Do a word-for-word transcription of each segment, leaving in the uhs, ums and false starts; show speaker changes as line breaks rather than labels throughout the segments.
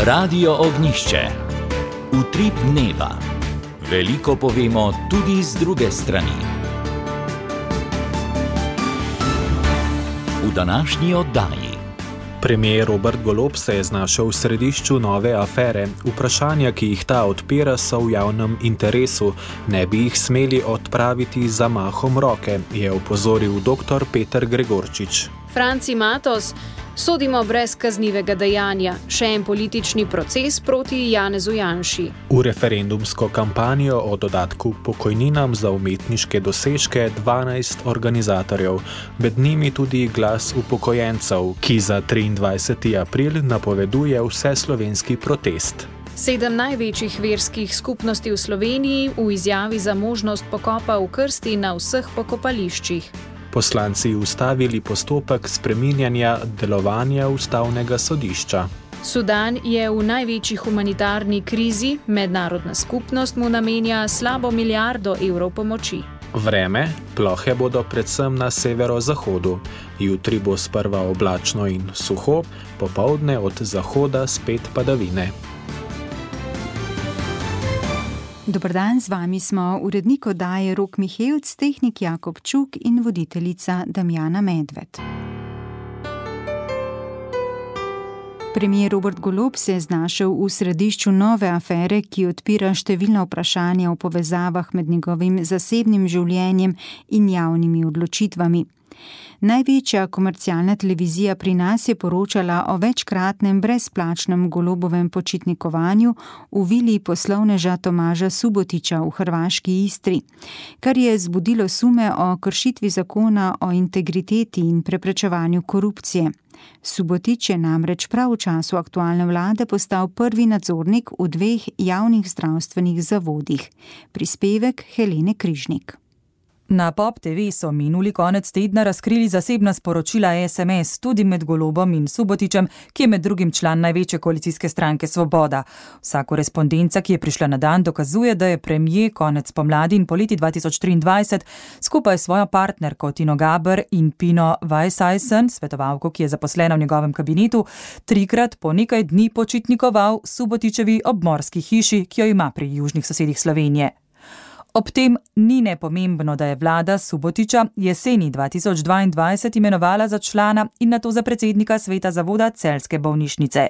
Radio Ognjišče. Utrip dneva. Veliko povemo tudi z druge strani. V današnji oddaji.
Premier Robert Golob se je znašel v središču nove afere. Vprašanja, ki jih ta odpira, so v javnem interesu. Ne bi jih smeli odpraviti z zamahom roke, je opozoril dr. Peter Gregorčič.
Franci Matos, sodimo brez kaznivega dejanja. Še en politični proces proti Janezu Janši.
V referendumsko kampanjo o dodatku pokojninam za umetniške dosežke dvanajst organizatorjev, med njimi tudi Glas upokojencev, ki za triindvajseti april napoveduje vseslovenski protest.
Sedem največjih verskih skupnosti v Sloveniji v izjavi za možnost pokopa v krsti na vseh pokopališčih.
Poslanci ustavili postopek spreminjanja delovanja ustavnega sodišča.
Sudan je v največji humanitarni krizi, mednarodna skupnost mu namenja slabo milijardo evrov pomoči.
Vreme, plohe bodo predvsem na severozahodu. Jutri bo sprva oblačno in suho, popoldne od zahoda spet padavine.
Dober dan, z vami smo urednik oddaje Rok Mihevc, tehnik Jakob Čuk in voditeljica Damjana Medved. Premier Robert Golob se je znašel v središču nove afere, ki odpira številna vprašanja o povezavah med njegovim zasebnim življenjem in javnimi odločitvami. Največja komercialna televizija pri nas je poročala o večkratnem brezplačnem Golobovem počitnikovanju v vili poslovneža Tomaža Subotića v hrvaški Istri, kar je zbudilo sume o kršitvi zakona o integriteti in preprečevanju korupcije. Subotić je namreč prav v času aktualne vlade postal prvi nadzornik v dveh javnih zdravstvenih zavodih. Prispevek Helene Križnik.
Na Pop te ve so minuli konec tedna razkrili zasebna sporočila es em es tudi med Golobom in Subotićem, ki je med drugim član največje koalicijske stranke Svoboda. Vsa korespondenca, ki je prišla na dan, dokazuje, da je premier konec pomladi in poleti dva tisoč triindvajset skupaj s svojo partnerko Tino Gaber in Pino Weisseisen, svetovalko, ki je zaposlena v njegovem kabinetu, trikrat po nekaj dni počitnikoval Subotićevi obmorski hiši, ki jo ima pri južnih sosedih Slovenije. Ob tem ni nepomembno, da je vlada Subotića jeseni dva tisoč dvaindvajset imenovala za člana in nato za predsednika sveta zavoda Celjske bolnišnice.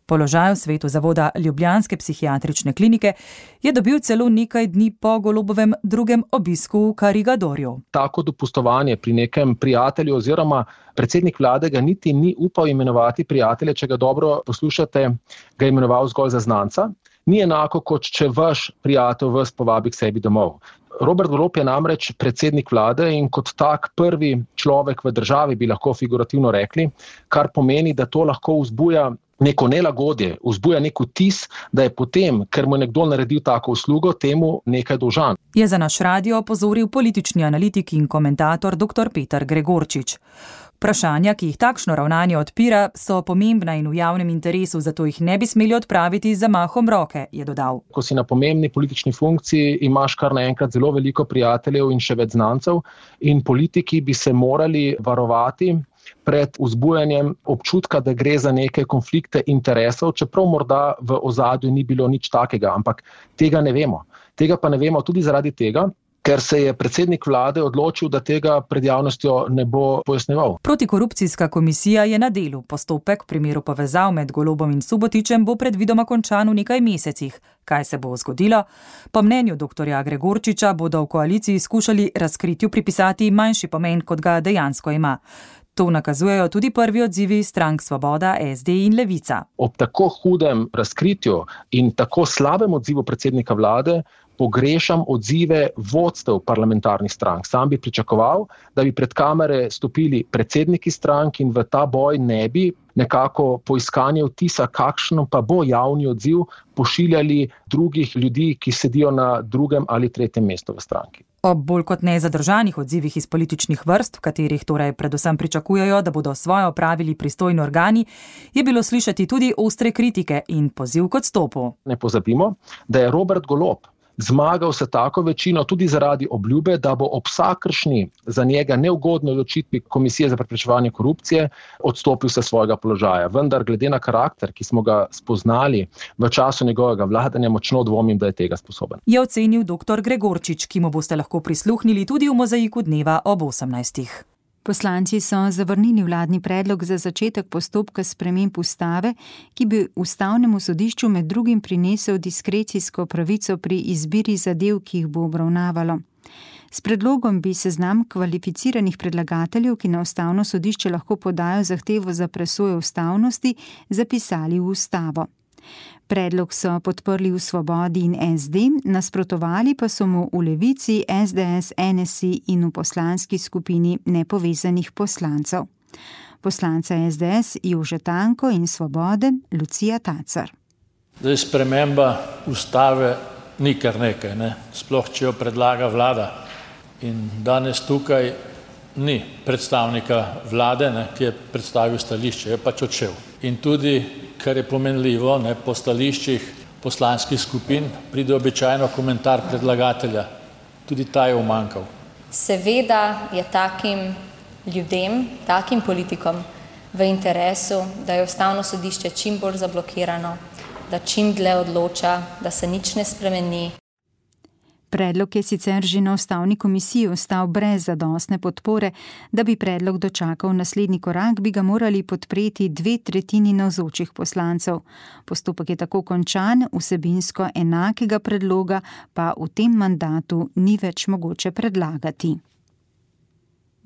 Položaj v svetu zavoda Ljubljanske psihiatrične klinike je dobil celo nekaj dni po Golobovem drugem obisku v Karigadorju.
Tako dopustovanje pri nekem prijatelju oziroma predsednik vlade ga niti ni upal imenovati prijatelje, če ga dobro poslušate, ga je imenoval zgolj za znanca. Ni enako, kot če vaš prijatelj vas povabi k sebi domov. Robert Golob je namreč predsednik vlade in kot tak prvi človek v državi, bi lahko figurativno rekli, kar pomeni, da to lahko vzbuja neko nelagodje, vzbuja nek vtis, da je potem, ker mu je nekdo naredil tako uslugo, temu nekaj dolžan.
Je za naš radio opozoril politični analitik in komentator dr. Peter Gregorčič. Vprašanja, ki jih takšno ravnanje odpira, so pomembna in v javnem interesu, zato jih ne bi smeli odpraviti z zamahom roke, je dodal.
Ko si na pomembni politični funkciji, imaš kar naenkrat zelo veliko prijateljev in še več znancev in politiki bi se morali varovati pred vzbujanjem občutka, da gre za neke konflikte interesov, čeprav morda v ozadju ni bilo nič takega, ampak tega ne vemo. Tega pa ne vemo tudi zaradi tega, ker se je predsednik vlade odločil, da tega pred javnostjo ne bo pojasnjeval.
Protikorupcijska komisija je na delu. Postopek v primeru povezav med Golobom in Subotićem bo predvidoma končan v nekaj mesecih. Kaj se bo zgodilo? Po mnenju dr. Gregorčiča bodo v koaliciji skušali razkritju pripisati manjši pomen, kot ga dejansko ima. To nakazujejo tudi prvi odzivi strank Svoboda, es de in Levica.
Ob tako hudem razkritju in tako slabem odzivu predsednika vlade pogrešam odzive vodstev parlamentarnih strank. Sam bi pričakoval, da bi pred kamere stopili predsedniki strank in v ta boj ne bi nekako po iskanju vtisa, kakšno pa bo javni odziv, pošiljali drugih ljudi, ki sedijo na drugem ali tretjem mestu v stranki.
Ob bolj kot nezadržanih odzivih iz političnih vrst, v katerih torej predvsem pričakujejo, da bodo svoje opravili pristojni organi, je bilo slišati tudi ostre kritike in poziv k odstopu.
Ne pozabimo, da je Robert Golob zmagal se tako večino tudi zaradi obljube, da bo ob vsakršni za njega neugodni odločitvi Komisije za preprečevanje korupcije odstopil se svojega položaja. Vendar glede na karakter, ki smo ga spoznali v času njegovega vladanja, močno dvomim, da je tega sposoben.
Je ocenil doktor Gregorčič, ki mu boste lahko prisluhnili tudi v Mozaiku dneva ob osemnajstih.
Poslanci so zavrnili vladni predlog za začetek postopka sprememb ustave, ki bi ustavnemu sodišču med drugim prinesel diskrecijsko pravico pri izbiri zadev, ki jih bo obravnavalo. S predlogom bi seznam kvalificiranih predlagateljev, ki na ustavno sodišče lahko podajo zahtevo za presojo ustavnosti, zapisali v ustavo. Predlog so podprli v Svobodi in es de, nasprotovali pa so mu v Levici, es de es, en es i in v poslanski skupini nepovezanih poslancev. Poslanca es de es Jože Tanko in Svobode Lucija Tacer.
Zdaj, sprememba ustave ni kar nekaj, ne? Sploh če jo predlaga vlada. In danes tukaj ni predstavnika vlade, ne, ki je predstavil stališče, je pač odšel. In tudi, kar je pomenljivo, ne, po stališčih poslanskih skupin pride običajno komentar predlagatelja. Tudi ta je umanjkal.
Seveda je takim ljudem, takim politikom v interesu, da je ustavno sodišče čim bolj zablokirano, da čim dlje odloča, da se nič ne spremeni.
Predlog je sicer že na ustavni komisiji ostal brez zadostne podpore. Da bi predlog dočakal naslednji korak, bi ga morali podpreti dve tretjini navzočih poslancev. Postopek je tako končan, vsebinsko enakega predloga pa v tem mandatu ni več mogoče predlagati.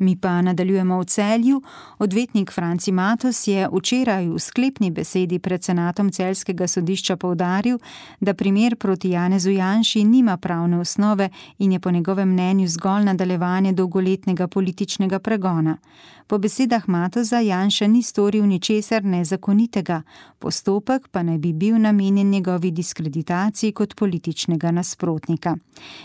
Mi pa nadaljujemo v Celju. Odvetnik Franci Matos je včeraj v sklepni besedi pred senatom celjskega sodišča poudaril, da primer proti Janezu Janši nima pravne osnove in je po njegovem mnenju zgolj nadaljevanje dolgoletnega političnega pregona. Po besedah Matosa Janša ni storil ničesar nezakonitega, postopek pa naj bi bil namenjen njegovi diskreditaciji kot političnega nasprotnika.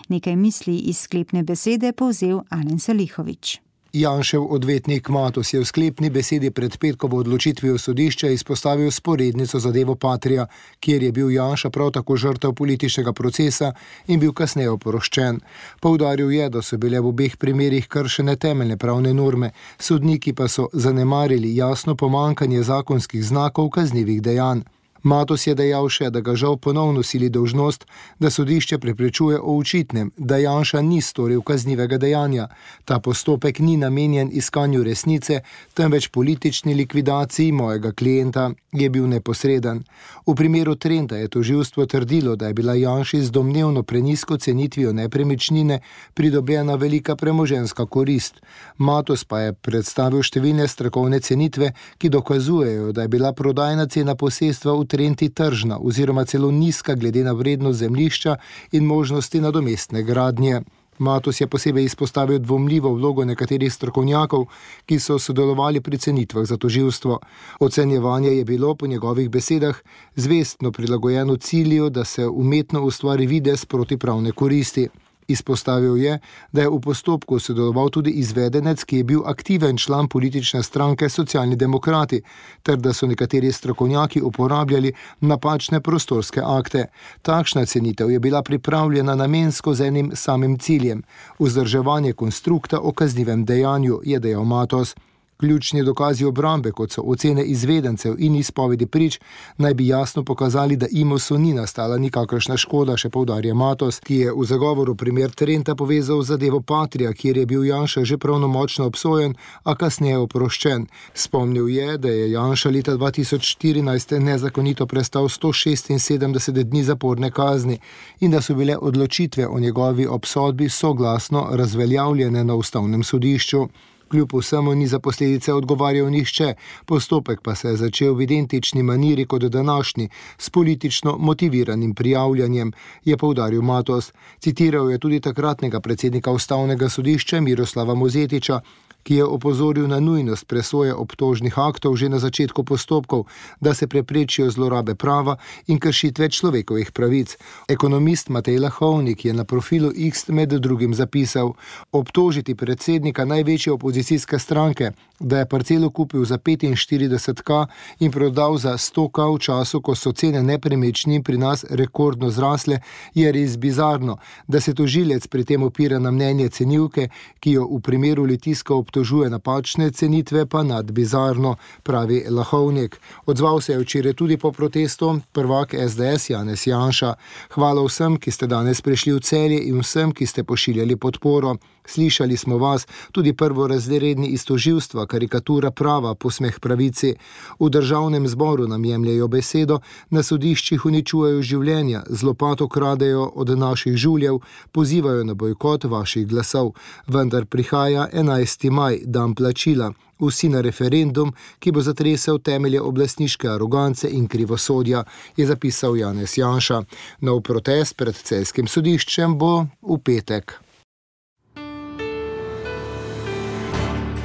Nekaj misli iz sklepne besede povzel Alen Salihović.
Janšev odvetnik Matos je v sklepni besedi pred petkovo odločitvijo sodišča izpostavil sporednico zadevo Patria, kjer je bil Janša prav tako žrtev političnega procesa in bil kasneje oproščen. Poudaril je, da so bile v obeh primerih kršene temeljne pravne norme, sodniki pa so zanemarili jasno pomanjkanje zakonskih znakov kaznivih dejanj. Matos je dejal še, da ga žal ponovno sili dolžnost, da sodišče preprečuje o očitnem, da Janša ni storil kaznivega dejanja. Ta postopek ni namenjen iskanju resnice, temveč politični likvidaciji mojega klienta, je bil neposreden. V primeru Trenta je tožilstvo trdilo, da je bila Janši z domnevno prenizko cenitvijo nepremičnine pridobljena velika premoženjska korist. Matos pa je predstavil številne strokovne cenitve, ki dokazujejo, da je bila prodajna cena posestva v Trenti tržna oziroma celo nizka glede na vrednost zemljišča in možnosti nadomestne gradnje. Matos je posebej izpostavil dvomljivo vlogo nekaterih strokovnjakov, ki so sodelovali pri cenitvah za tožilstvo. Ocenjevanje je bilo po njegovih besedah zvestno prilagojeno cilju, da se umetno ustvari videz protipravne koristi. Izpostavil je, da je v postopku sodeloval tudi izvedenec, ki je bil aktiven član politične stranke Socialni demokrati, ter da so nekateri strokovnjaki uporabljali napačne prostorske akte. Takšna cenitev je bila pripravljena namensko z enim samim ciljem, vzdrževanje konstrukta o kaznivem dejanju, je dejal Matos. Ključni dokazi obrambe, kot so ocene izvedencev in izpovedi prič, naj bi jasno pokazali, da Imosu ni nastala nikakršna škoda, še poudarja Matos, ki je v zagovoru primer Trenta povezal zadevo Patria, kjer je bil Janša že pravnomočno obsojen, a kasneje oproščen. Spomnil je, da je Janša leta dva tisoč štirinajst nezakonito prestal sto šestinsedemdeset dni zaporne kazni in da so bile odločitve o njegovi obsodbi soglasno razveljavljene na ustavnem sodišču. Kljub vsemu ni za posledice odgovarjal nihče, postopek pa se je začel v identični maniri kot današnji, s politično motiviranim prijavljanjem, je poudaril Matos. Citiral je tudi takratnega predsednika ustavnega sodišča Miroslava Mozetiča, ki je opozoril na nujnost presoje obtožnih aktov že na začetku postopkov, da se preprečijo zlorabe prava in kršitve človekovih pravic. Ekonomist Matej Lahovnik je na profilu X med drugim zapisal: obtožiti predsednika največje opozicijske stranke, da je parcelo kupil za petinštirideset tisoč in prodal za sto tisoč v času, ko so cene nepremičnin pri nas rekordno zrasle, je res bizarno. Da se tožilec pri tem opira na mnenje cenilke, ki jo v primeru Litijska obtožuje napačne cenitve, pa nad bizarno, pravi Lahovnik. Odzval se je včeraj tudi po protestu prvak es de es Janez Janša. Hvala vsem, ki ste danes prišli v Celje in vsem, ki ste pošiljali podporo. Slišali smo vas, tudi prvorazredni iz tožilstva, karikatura prava, posmeh pravici. V državnem zboru nam jemljajo besedo, na sodiščih uničujejo življenja, z lopato kradejo od naših žuljev, pozivajo na bojkot vaših glasov. Vendar prihaja enajsti maj, dan plačila. Vsi na referendum, ki bo zatresel temelje oblastniške arogance in krivosodja, je zapisal Janez Janša. Nov protest pred celjskim sodiščem bo v petek.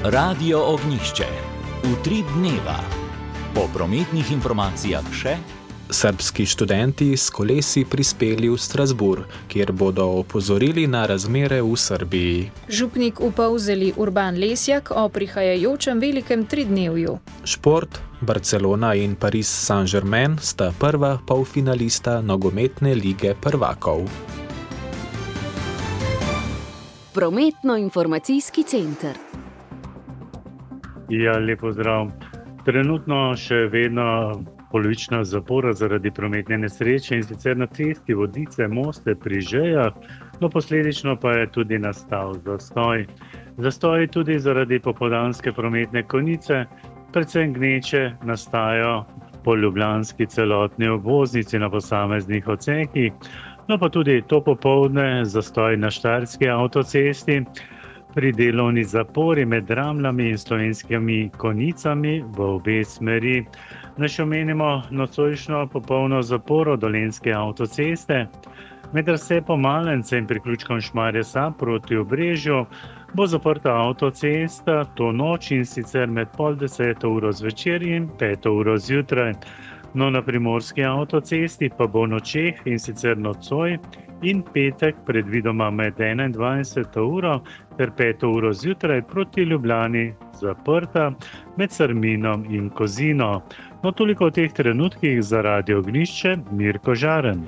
Radio Ognjišče. Utrip dneva. Po prometnih informacijah še:
srbski študenti s kolesi prispeli v Strasbourg, kjer bodo opozorili na razmere v Srbiji.
Župnik v Polzeli Urban Lesjak o prihajajočem velikem tridnevju.
Šport. Barcelona in Paris Saint-Germain sta prva polfinalista nogometne lige prvakov.
Prometno-informacijski center.
Ja, lepo zdrav. Trenutno še vedno polovična zapora zaradi prometne nesreče, in sicer na cesti Vodice-Moste pri Žejah, no posledično pa je tudi nastal zastoj. Zastoj tudi zaradi popoldanske prometne konice, predvsem gneče nastajajo po ljubljanski celotni obvoznici na posameznih odsekih, no pa tudi to popoldne zastoj na Štajerski avtocesti, pri delovni zapori med Dramljami in Slovenskimi Konicami v obe smeri. Naj še omenimo nocojšnjo popolno zaporo Dolenjske avtoceste. Med razcepom Malence in priključkom Šmarje Sab proti Obrežju bo zaprta avtocesta to noč, in sicer med pol deseto uro zvečer in peto uro zjutraj. No, na primorski avtocesti pa bo v nočeh, in sicer nocoj in petek predvidoma med enaindvajseto uro ter peto uro zjutraj proti Ljubljani zaprta med Sarminom in Kozino. No, toliko v teh trenutkih za Radio Ognjišče, Mirko Žaren.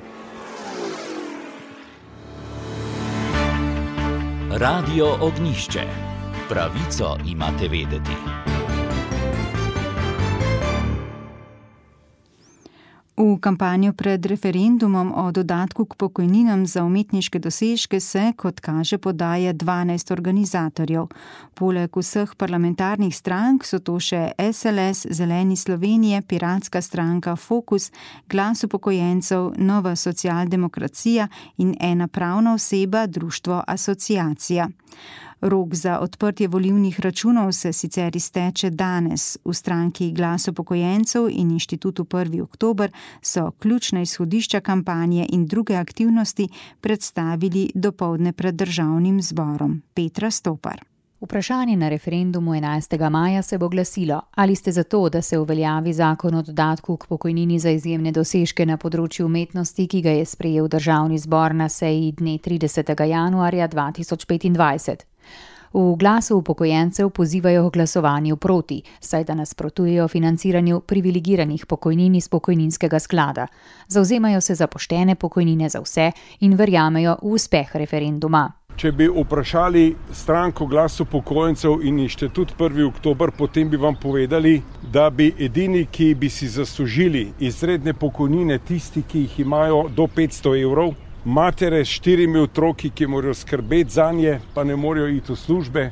Radio Ognjišče. Pravico imate vedeti.
V kampanjo pred referendumom o dodatku k pokojninam za umetniške dosežke se, kot kaže, podaja dvanajst organizatorjev. Poleg vseh parlamentarnih strank so to še es el es, Zeleni Slovenije, Piratska stranka, Fokus, Glas upokojencev, Nova socialdemokracija in ena pravna oseba, društvo Asociacija. Rok za odprtje volilnih računov se sicer izteče danes. V stranki Glas upokojencev in inštitutu prvi oktober so ključna izhodišča kampanje in druge aktivnosti predstavili dopoldne pred državnim zborom. Petra Stopar.
Vprašanje na referendumu enajstega maja se bo glasilo: ali ste za to, da se uveljavi zakon o dodatku k pokojnini za izjemne dosežke na področju umetnosti, ki ga je sprejel državni zbor na seji dne tridesetega januarja dva tisoč petindvajset. V Glasu upokojencev pozivajo k glasovanju proti, saj da nasprotujejo financiranju privilegiranih pokojnin iz pokojninskega sklada. Zavzemajo se za poštene pokojnine za vse in verjamejo v uspeh referenduma.
Če bi vprašali stranko Glas upokojencev in inštitut prvi oktober, potem bi vam povedali, da bi edini, ki bi si zaslužili izredne pokojnine, tisti, ki jih imajo do petsto evrov, matere s štirimi otroki, ki morajo skrbeti zanje, pa ne morejo iti v službe,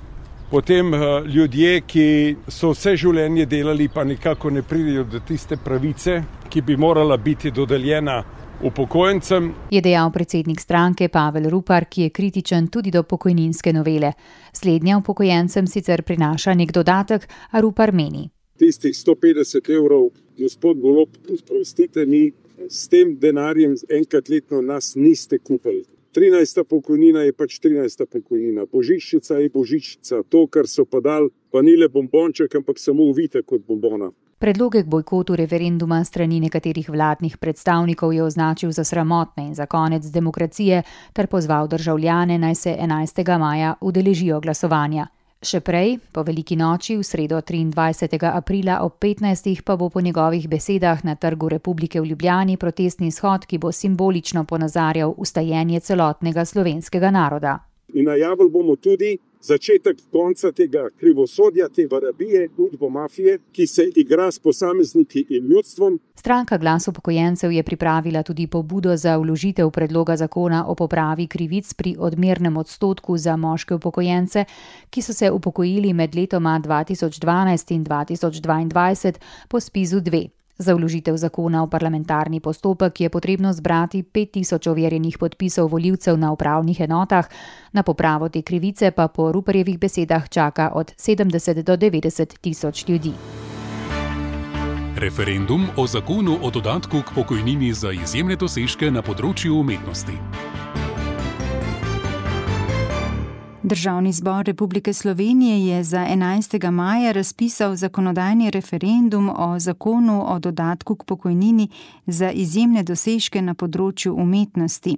potem ljudje, ki so vse življenje delali, pa nekako ne pridejo do tiste pravice, ki bi morala biti dodeljena upokojencem.
Je dejal predsednik stranke Pavel Rupar, ki je kritičen tudi do pokojninske novele. Slednja upokojencem sicer prinaša nek dodatek, a Rupar meni:
tistih sto petdeset evrov, gospod Golob, prostite mi, s tem denarjem enkrat letno nas niste kupili. trinajsta pokojnina je pač trinajsta pokojnina. Božičnica je božičnica. To, kar so pa dali, pa ni le bombonček, ampak samo uvitek kot bombona.
Predloge k bojkotu referenduma strani nekaterih vladnih predstavnikov je označil za sramotne in za konec demokracije ter pozval državljane, naj se enajstega maja udeležijo glasovanja. Še prej, po veliki noči, v sredo triindvajsetega aprila ob petnajstih pa bo po njegovih besedah na Trgu Republike v Ljubljani protestni shod, ki bo simbolično ponazarjal ustajenje celotnega slovenskega naroda.
In najavili bomo tudi začetek konca tega krivosodja, te varabije, udbo mafije, ki se igra s posamezniki in ljudstvom.
Stranka Glas upokojencev je pripravila tudi pobudo za vložitev predloga zakona o popravi krivic pri odmernem odstotku za moške upokojence, ki so se upokojili med letoma dva tisoč dvanajst in dva tisoč dvaindvajset po spizu dve. Za vložitev zakona v parlamentarni postopek je potrebno zbrati pet tisoč overjenih podpisov volivcev na upravnih enotah, na popravo te krivice pa po Ruparjevih besedah čaka od sedemdeset do devetdeset tisoč ljudi.
Referendum o zakonu o dodatku k pokojnini za izjemne dosežke na področju umetnosti.
Državni zbor Republike Slovenije je za enajstega maja razpisal zakonodajni referendum o zakonu o dodatku k pokojnini za izjemne dosežke na področju umetnosti.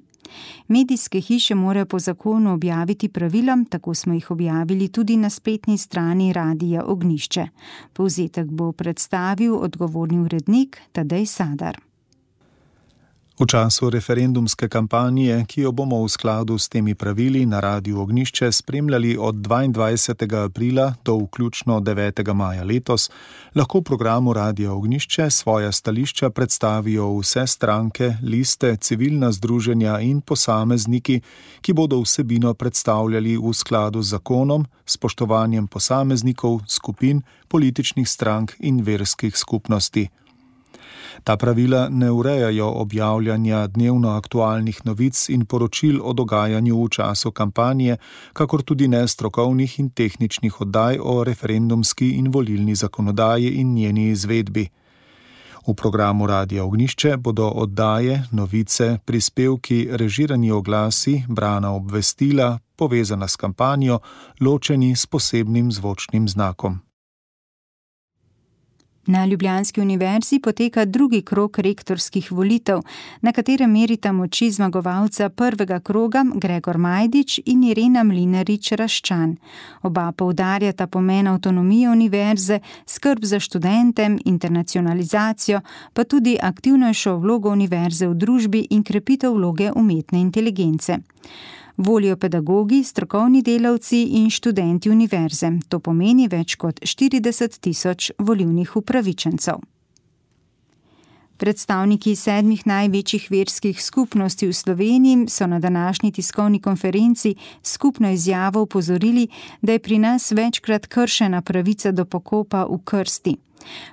Medijske hiše morajo po zakonu objaviti pravila, tako smo jih objavili tudi na spletni strani Radia Ognjišče. Povzetek bo predstavil odgovorni urednik Tadej Sadar.
V času referendumske kampanje, ki jo bomo v skladu s temi pravili na Radiu Ognjišče spremljali od dvaindvajsetega aprila do vključno devetega maja letos, lahko v programu Radia Ognjišče svoja stališča predstavijo vse stranke, liste, civilna združenja in posamezniki, ki bodo vsebino predstavljali v skladu z zakonom, spoštovanjem posameznikov, skupin, političnih strank in verskih skupnosti. Ta pravila ne urejajo objavljanja dnevno aktualnih novic in poročil o dogajanju v času kampanje, kakor tudi ne strokovnih in tehničnih oddaj o referendumski in volilni zakonodaji in njeni izvedbi. V programu Radia Ognjišče bodo oddaje, novice, prispevki, režirani oglasi, brana obvestila, povezana s kampanjo, ločeni s posebnim zvočnim znakom.
Na Ljubljanski univerzi poteka drugi krog rektorskih volitev, na katerem merita moči zmagovalca prvega kroga Gregor Majdič in Irena Mlinarič-Raščan. Oba poudarjata pomen avtonomije univerze, skrb za študente, internacionalizacijo, pa tudi aktivnejšo vlogo univerze v družbi in krepitev vloge umetne inteligence. Volijo pedagogi, strokovni delavci in študenti univerze. To pomeni več kot štirideset tisoč volilnih upravičencev. Predstavniki sedmih največjih verskih skupnosti v Sloveniji so na današnji tiskovni konferenci skupno izjavo opozorili, da je pri nas večkrat kršena pravica do pokopa v krsti.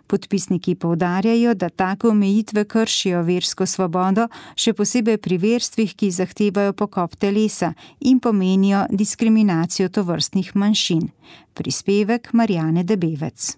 Podpisniki poudarjajo, da take omejitve kršijo versko svobodo, še posebej pri verstvih, ki zahtevajo pokop telesa in pomenijo diskriminacijo tovrstnih manjšin. Prispevek Marjane Debevec.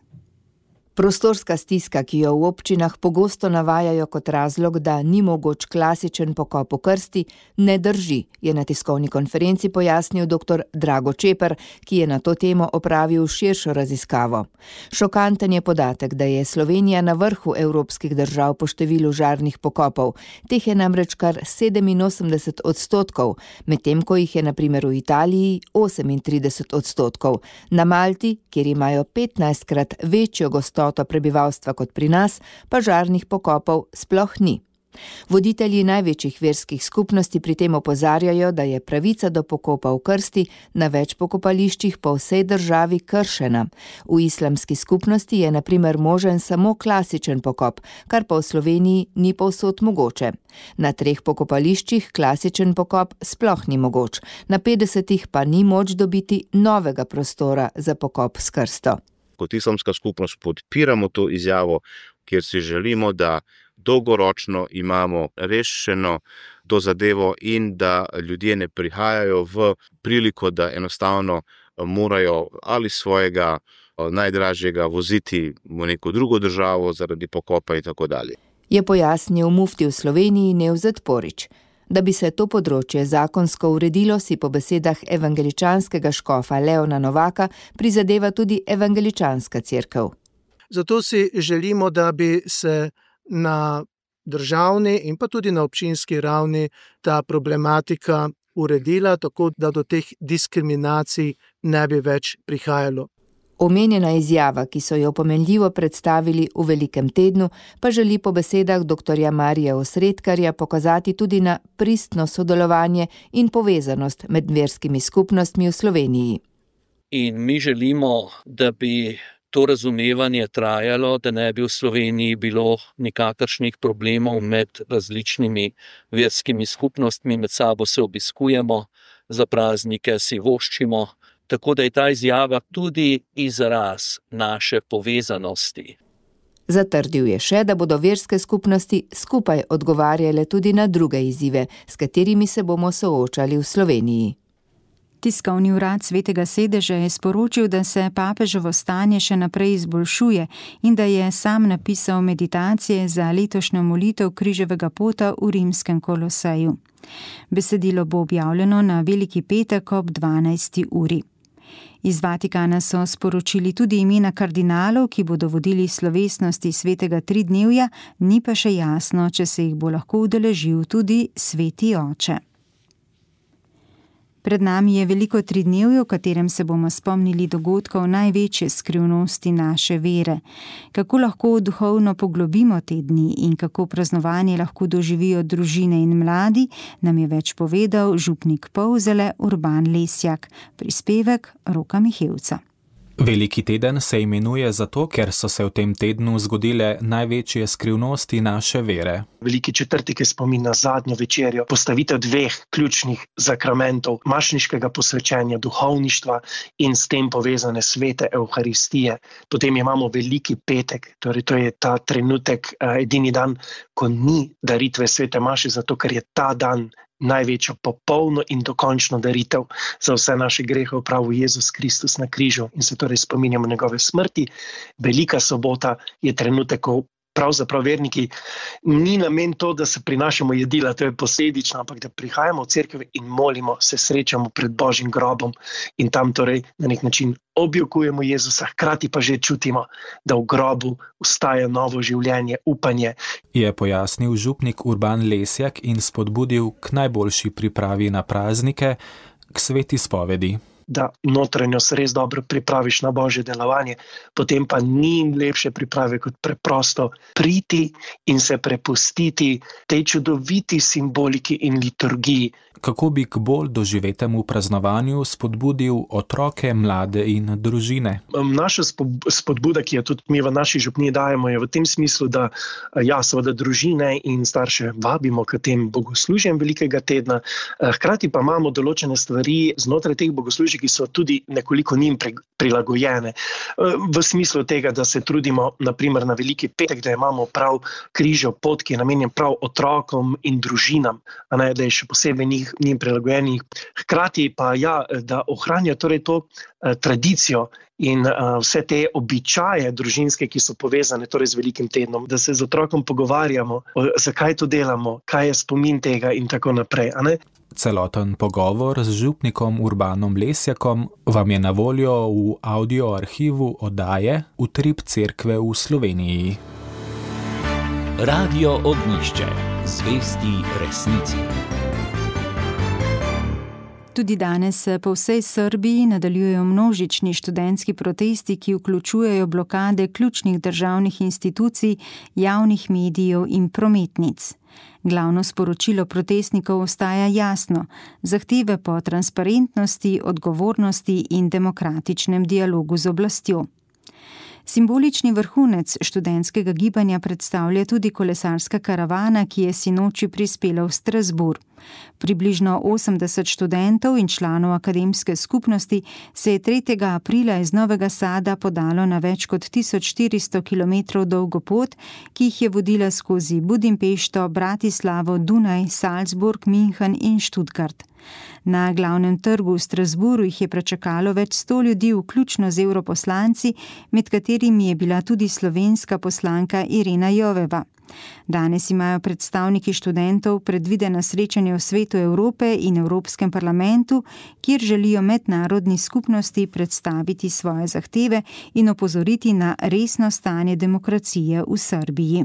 Prostorska stiska, ki jo v občinah pogosto navajajo kot razlog, da ni mogoč klasičen pokop v krsti, ne drži, je na tiskovni konferenci pojasnil dr. Drago Čeper, ki je na to temo opravil širšo raziskavo. Šokanten je podatek, da je Slovenija na vrhu evropskih držav po številu žarnih pokopov. Teh je namreč kar sedeminosemdeset odstotkov, medtem ko jih je na primer v Italiji osemintrideset odstotkov. Na Malti, kjer imajo petnajstkrat večjo gostoto prebivalstva kot pri nas, pa žarnih pokopov sploh ni. Voditelji največjih verskih skupnosti pri tem opozarjajo, da je pravica do pokopa v krsti na več pokopališčih po vsej državi kršena. V islamski skupnosti je na primer možen samo klasičen pokop, kar pa v Sloveniji ni povsod mogoče. Na treh pokopališčih klasičen pokop sploh ni mogoč, na petdesetih pa ni moč dobiti novega prostora za pokop s krsto.
Kot islamska skupnost podpiramo to izjavo, kjer si želimo, da dolgoročno imamo rešeno to zadevo in da ljudje ne prihajajo v priliko, da enostavno morajo ali svojega najdražjega voziti v neko drugo državo zaradi pokopa in tako dalje.
Je pojasnil mufti v Sloveniji Nevzet Porić. Da bi se to področje zakonsko uredilo, si po besedah evangeličanskega škofa Leona Novaka prizadeva tudi evangeličanska cerkev.
Zato si želimo, da bi se na državni in pa tudi na občinski ravni ta problematika uredila, tako da do teh diskriminacij ne bi več prihajalo.
Omenjena izjava, ki so jo pomenljivo predstavili v Velikem tednu, pa želi po besedah doktorja Marija Osredkarja pokazati tudi na pristno sodelovanje in povezanost med verskimi skupnostmi v Sloveniji.
In mi želimo, da bi to razumevanje trajalo, da ne bi v Sloveniji bilo nikakršnih problemov med različnimi verskimi skupnostmi, med sabo se obiskujemo, za praznike si voščimo, tako da je ta izjava tudi izraz naše povezanosti.
Zatrdil je še, da bodo verske skupnosti skupaj odgovarjale tudi na druge izzive, s katerimi se bomo soočali v Sloveniji.
Tiskovni urad Svetega sedeža je sporočil, da se papeževo stanje še naprej izboljšuje in da je sam napisal meditacije za letošnjo molitev križevega pota v rimskem Koloseju. Besedilo bo objavljeno na Veliki petek ob dvanajsti uri. Iz Vatikana so sporočili tudi imena kardinalov, ki bodo vodili slovesnosti svetega tridnevja, ni pa še jasno, če se jih bo lahko udeležil tudi sveti oče. Pred nami je veliko tridnevje, v katerem se bomo spomnili dogodkov največje skrivnosti naše vere. Kako lahko duhovno poglobimo te dni in kako praznovanje lahko doživijo družine in mladi, nam je več povedal župnik Polzele Urban Lesjak, prispevek Roka Mihevca.
Veliki teden se imenuje zato, ker so se v tem tednu zgodile največje skrivnosti naše vere.
Veliki četrtek je spomin na zadnjo večerjo, postavitev dveh ključnih zakramentov, mašniškega posvečenja, duhovništva in s tem povezane svete Evharistije. Potem imamo veliki petek, torej to je ta trenutek, edini dan, ko ni daritve svete maše, zato ker je ta dan največjo popolno in dokončno daritev za vse naše grehe opravil Jezus Kristus na križu in se torej spominjamo njegove smrti. Velika sobota je trenutek, ko pravzaprav verniki ni namen to, da se prinašamo jedila, to je posledično, ampak da prihajamo v cerkev in molimo, se srečamo pred Božjim grobom in tam torej na nek način objokujemo Jezusa, hkrati pa že čutimo, da v grobu vstaja novo življenje, upanje.
Je pojasnil župnik Urban Lesjak in spodbudil k najboljši pripravi na praznike, k sveti spovedi.
Da notranjost res dobro pripraviš na Božje delovanje, potem pa ni lepše priprave kot preprosto priti in se prepustiti tej čudoviti simboliki in liturgiji.
Kako bi k bolj doživetemu praznovanju spodbudil otroke, mlade in družine?
Naša spodbuda, ki jo tudi mi v naši župniji dajemo, je v tem smislu, da ja, seveda družine in starše vabimo k tem bogoslužjem velikega tedna, hkrati pa imamo določene stvari znotraj teh bogoslužij, ki so tudi nekoliko njim prilagojene. V smislu tega, da se trudimo naprimer na veliki petek, da imamo prav križev pot, ki je namenjen prav otrokom in družinam, a ne, da je še posebej njih, njim prilagojenih. Hkrati pa ja, da ohranja torej to eh, tradicijo in uh, vse te običaje družinske, ki so povezane torej z velikim tednom, da se z otrokom pogovarjamo, o, zakaj to delamo, kaj je spomin tega in tako naprej, a ne?
Celoten pogovor z župnikom Urbanom Lesjakom vam je na voljo v audio arhivu oddaje Utrip cerkve v Sloveniji.
Radio Ognjišče, zvesti resnici.
Tudi danes se po vsej Srbiji nadaljujejo množični študentski protesti, ki vključujejo blokade ključnih državnih institucij, javnih medijev in prometnic. Glavno sporočilo protestnikov ostaja jasno: zahteve po transparentnosti, odgovornosti in demokratičnem dialogu z oblastjo. Simbolični vrhunec študentskega gibanja predstavlja tudi kolesarska karavana, ki je sinoči prispela v Strasbourg. Približno osemdeset študentov in članov akademske skupnosti se je tretjega aprila iz Novega Sada podalo na več kot tisoč štiristo kilometrov dolgo pot, ki jih je vodila skozi Budimpešto, Bratislavo, Dunaj, Salzburg, München in Stuttgart. Na glavnem trgu v Strasburu jih je pričakalo več sto ljudi, vključno z evroposlanci, med katerimi je bila tudi slovenska poslanka Irena Joveva. Danes imajo predstavniki študentov predvidena srečanje v Svetu Evrope in Evropskem parlamentu, kjer želijo mednarodni skupnosti predstaviti svoje zahteve in opozoriti na resno stanje demokracije v Srbiji.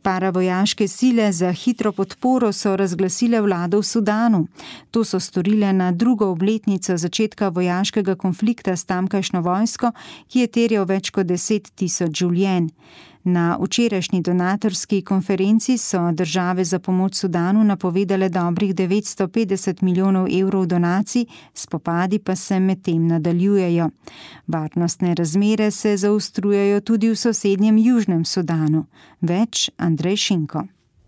Paravojaške sile za hitro podporo so razglasile vlado v Sudanu. To so storile na drugo obletnico začetka vojaškega konflikta s tamkajšnjo vojsko, ki je terjal več kot deset tisoč življenj. Na včerajšnji donatorski konferenci so države za pomoč Sudanu napovedale dobrih devetsto petdeset milijonov evrov donacij, spopadi pa se medtem nadaljujejo. Varnostne razmere se zaostrujejo tudi v sosednjem Južnem Sudanu. Več Andrej Šinko.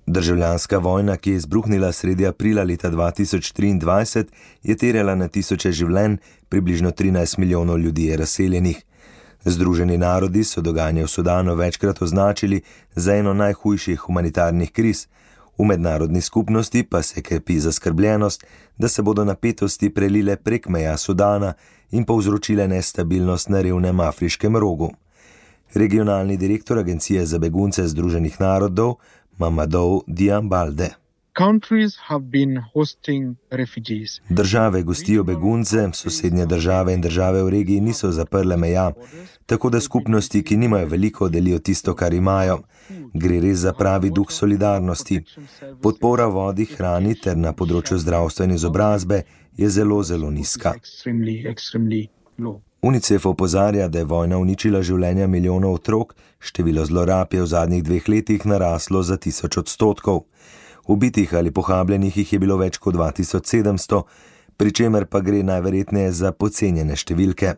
Državljanska vojna, ki je izbruhnila sredi aprila leta dva tisoč triindvajset, je terjala na tisoče življenj, približno trinajst milijonov ljudi je razseljenih. Združeni narodi so dogajanje v Sudanu večkrat označili za eno najhujših humanitarnih kriz. V mednarodni skupnosti pa se krepi zaskrbljenost, da se bodo napetosti prelile prek meja Sudana in povzročile nestabilnost na revnem afriškem rogu. Regionalni direktor Agencije za begunce Združenih narodov, Mamadou Diambalde. Države gostijo begunce, sosednje države in države v regiji niso zaprle meja, tako da skupnosti, ki nimajo veliko, delijo tisto, kar imajo. Gre res za pravi duh solidarnosti. Podpora vodi, hrani ter na področju zdravstva in izobrazbe je zelo, zelo nizka. UNICEF opozarja, da je vojna uničila življenja milijonov otrok, število zlorab je v zadnjih dveh letih naraslo za tisoč odstotkov. Ubitih ali pohabljenih jih je bilo več kot dva tisoč sedemsto, pri čemer pa gre najverjetneje za podcenjene številke.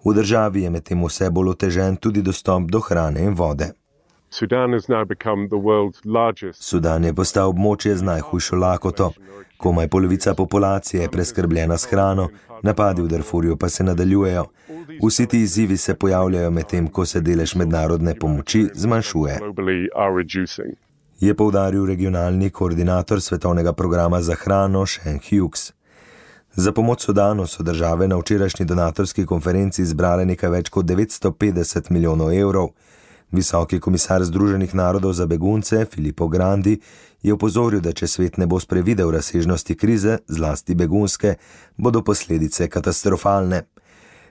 V državi je medtem vse bolj otežen tudi dostop do hrane in vode. Sudan je postal območje z najhujšo lakoto. Komaj polovica populacije je preskrbljena s hrano, napadi v Darfurju pa se nadaljujejo. Vsi ti izzivi se pojavljajo medtem, ko se delež mednarodne pomoči zmanjšuje. Je poudaril regionalni koordinator svetovnega programa za hrano Shane Hughes. Za pomoč Sudanu so države na včerajšnji donatorski konferenci zbrale nekaj več kot devetsto petdeset milijonov evrov. Visoki komisar Združenih narodov za begunce Filippo Grandi je opozoril, da če svet ne bo sprevidel razsežnosti krize, zlasti begunske, bodo posledice katastrofalne.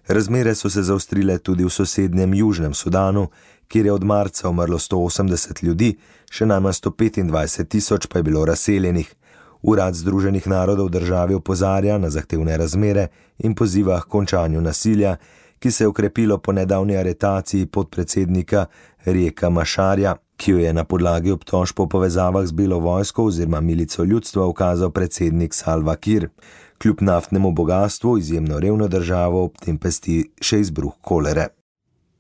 Razmere so se zaostrile tudi v sosednjem Južnem Sudanu, kjer je od marca umrlo sto osemdeset ljudi, še najmanj sto petindvajset tisoč pa je bilo razseljenih. Urad Združenih narodov državi opozarja na zahtevne razmere in poziva k končanju nasilja, ki se je okrepilo po nedavni aretaciji podpredsednika Rieka Mašarja, ki jo je na podlagi obtožb po povezavah z Belo vojsko oziroma milico ljudstva ukazal predsednik Salva Kiir. Kljub naftnemu bogastvu izjemno revno državo ob tem pesti še izbruh kolere.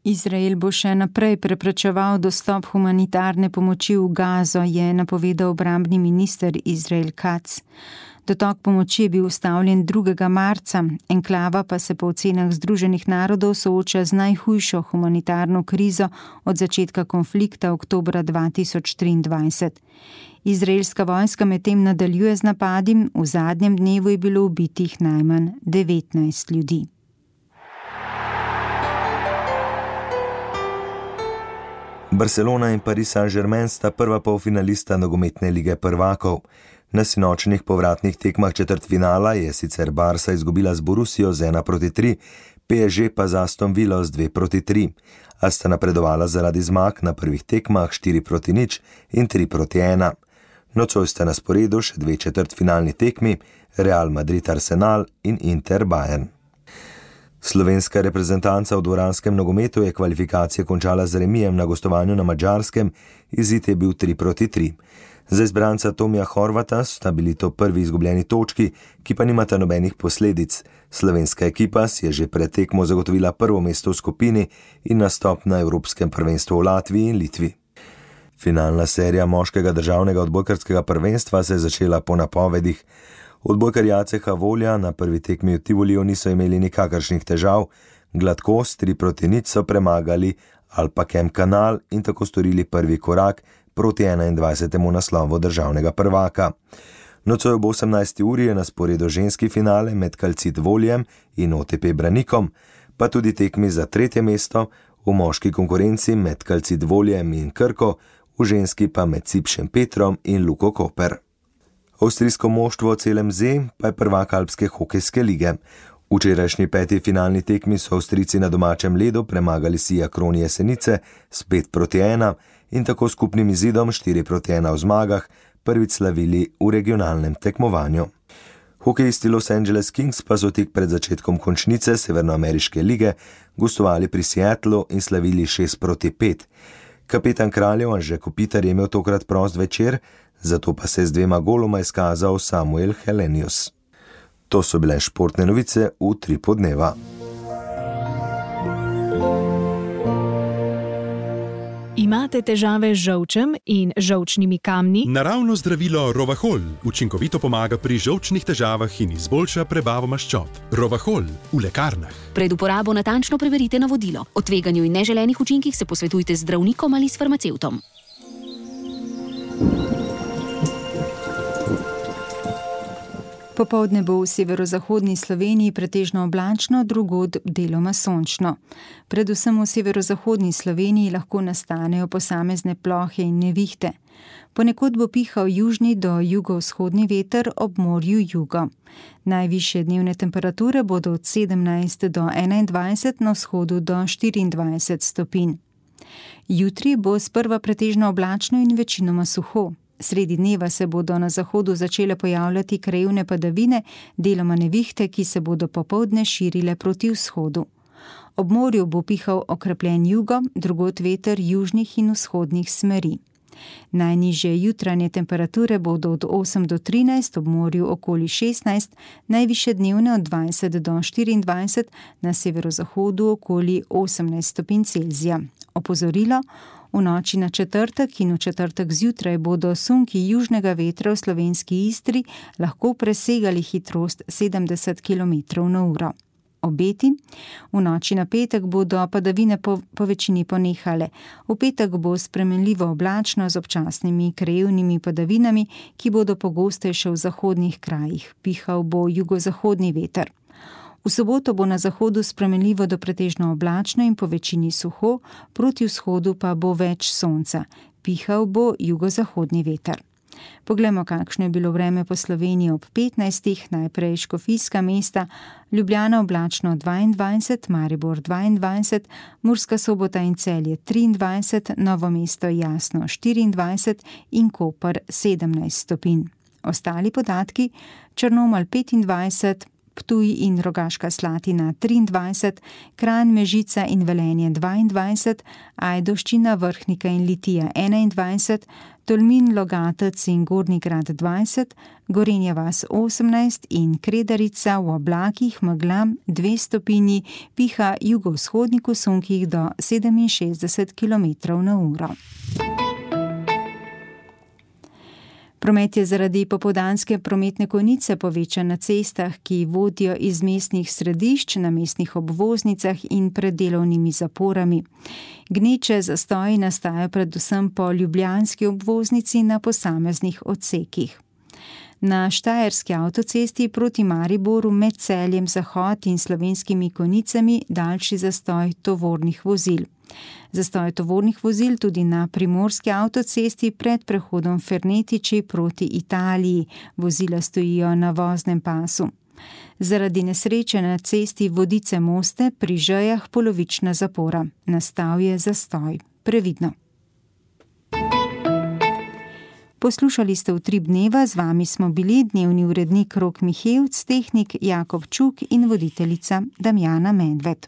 Izrael bo še naprej preprečeval dostop humanitarne pomoči v Gazo, je napovedal obrambni minister Izrael Katz. Dotok pomoči je bil ustavljen drugega marca, enklava pa se po ocenah Združenih narodov sooča z najhujšo humanitarno krizo od začetka konflikta oktobra dva tisoč triindvajset. Izraelska vojska medtem nadaljuje z napadi, v zadnjem dnevu je bilo ubitih najmanj devetnajst ljudi.
Barcelona in Paris Saint-Germain sta prva polfinalista nogometne lige prvakov. Na sinočnih povratnih tekmah četrtfinala je sicer Barca izgubila z Borussijo z ena proti tri, P S G pa z Aston Villo z dve proti tri, a sta napredovala zaradi zmag na prvih tekmah štiri proti nič in tri proti ena. Nocoj sta na sporedu še dve četrtfinalni tekmi, Real Madrid Arsenal in Inter Bayern. Slovenska reprezentanca v dvoranskem nogometu je kvalifikacije končala z remijem na gostovanju na Madžarskem, izid je bil tri proti tri. Za izbranca Tomija Horvata sta bili to prvi izgubljeni točki, ki pa nimata nobenih posledic. Slovenska ekipa si je že pred tekmo zagotovila prvo mesto v skupini in nastop na Evropskem prvenstvu v Latviji in Litvi. Finalna serija moškega državnega odbojkarskega prvenstva se je začela po napovedih. Odbojkarji A C H Volja na prvi tekmi v Tivoliju niso imeli nikakršnih težav, gladko s tri proti nič so premagali Alpacem Kanal in tako storili prvi korak proti enaindvajsetemu naslovu državnega prvaka. Nocoj ob osemnajsti uri je na sporedu ženski finale med Calcit Voljem in O T P Branikom, pa tudi tekmi za tretje mesto, v moški konkurenci med Calcit Voljem in Krko, v ženski pa med Cipšem Petrom in Luko Koper. Avstrijsko moštvo C L M Z pa je prvak Alpske hokejske lige. V včerajšnji peti finalni tekmi so Avstrijci na domačem ledu premagali Sija Kron Jesenice s pet proti ena in tako skupnim izidom štiri proti ena v zmagah prvič slavili v regionalnem tekmovanju. Hokejisti Los Angeles Kings pa so tik pred začetkom končnice Severnoameriške lige gostovali pri Seattlu in slavili šest proti pet. Kapetan Kraljev Anže Kopitar je imel tokrat prost večer, zato pa se z dvema goloma izkazal Samuel Helenius. To so bile športne novice v Tripu dneva.
Imate težave z žolčem in žolčnimi kamni?
Naravno zdravilo Rovahol učinkovito pomaga pri žolčnih težavah in izboljša prebavo maščob. Rovahol v lekarnah.
Pred uporabo natančno preverite navodilo. O tveganju in neželenih učinkih se posvetujte z zdravnikom ali s farmacevtom.
Popoldne bo v severozahodni Sloveniji pretežno oblačno, drugod deloma sončno. Predvsem v severozahodni Sloveniji lahko nastanejo posamezne plohe in nevihte. Ponekod bo pihal južni do jugovzhodni veter, ob morju jugo. Najvišje dnevne temperature bodo od sedemnajst do enaindvajset, na vzhodu do štiriindvajset stopinj. Jutri bo sprva pretežno oblačno in večinoma suho. Sredi dneva se bodo na zahodu začele pojavljati krajevne padavine, deloma nevihte, ki se bodo popoldne širile proti vzhodu. Ob morju bo pihal okrepljen jugo, drugod veter južnih in vzhodnih smeri. Najnižje jutranje temperature bodo od osem do trinajst, ob morju okoli šestnajst, najvišje dnevne od dvajset do štiriindvajset, na severozahodu okoli osemnajst stopinj Celzija. Opozorilo: v noči na četrtek in v četrtek zjutraj bodo sunki južnega vetra v slovenski Istri lahko presegali hitrost sedemdeset kilometrov na uro. Obeti: v noči na petek bodo padavine po, po večini ponehale. V petek bo spremenljivo oblačno z občasnimi krajevnimi padavinami, ki bodo pogostejše v zahodnih krajih. Pihal bo jugozahodni veter. V soboto bo na zahodu spremenljivo do pretežno oblačno in po večini suho, proti vzhodu pa bo več sonca. Pihal bo jugozahodni veter. Poglejmo, kakšno je bilo vreme po Sloveniji ob petnajstih, najprej škofijska mesta, Ljubljana oblačno dvaindvajset, Maribor dvaindvajset, Murska Sobota in Celje triindvajset, Novo mesto jasno štiriindvajset in Koper sedemnajst stopinj. Ostali podatki: Črnomelj petindvajset, Ptuj in Rogaška Slatina triindvajset, Kranj, Mežica in Velenje dvaindvajset, Ajdovščina, Vrhnika in Litija enaindvajset, Tolmin, Logatec in Gornji Grad dvajset, Gorenja vas osemnajst in Kredarica v oblakih megla dve stopinji, piha jugovzhodnik v sunkih do sedeminšestdeset kilometrov na uro. Promet je zaradi popoldanske prometne konice povečan na cestah, ki vodijo iz mestnih središč, na mestnih obvoznicah in pred delovnimi zaporami. Gneče zastoji nastajajo predvsem po ljubljanski obvoznici na posameznih odsekih. Na Štajerski avtocesti proti Mariboru med Celjem Zahod in Slovenskimi Konicami daljši zastoj tovornih vozil. Zastoj tovornih vozil tudi na Primorski avtocesti pred prehodom Fernetiči proti Italiji. Vozila stojijo na voznem pasu. Zaradi nesreče na cesti Vodice-Moste pri Žejah polovična zapora. Nastal je zastoj. Previdno. Poslušali ste Utrip dneva, z vami smo bili dnevni urednik Rok Mihevc, tehnik Jakob Čuk in voditeljica Damjana Medved.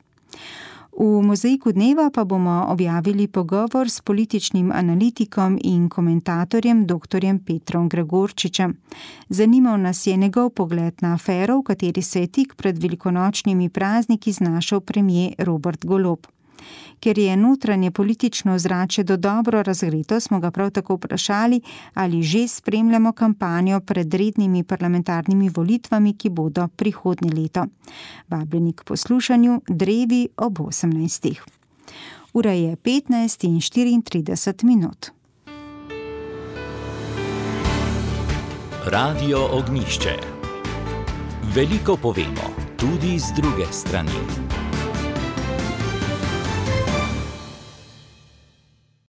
V Mozaiku dneva pa bomo objavili pogovor s političnim analitikom in komentatorjem doktorjem Petrom Gregorčičem. Zanimal nas je njegov pogled na afero, v kateri se je tik pred velikonočnimi prazniki znašel premier Robert Golob. Ker je notranje politično ozračje do dobro razgreto, smo ga prav tako vprašali, ali že spremljamo kampanjo pred rednimi parlamentarnimi volitvami, ki bodo prihodnje leto. Vabljeni k poslušanju drevi ob osemnajstih. Ura je petnajst in štiriintrideset minut.
Radio Ognišče. Veliko povemo tudi z druge strani.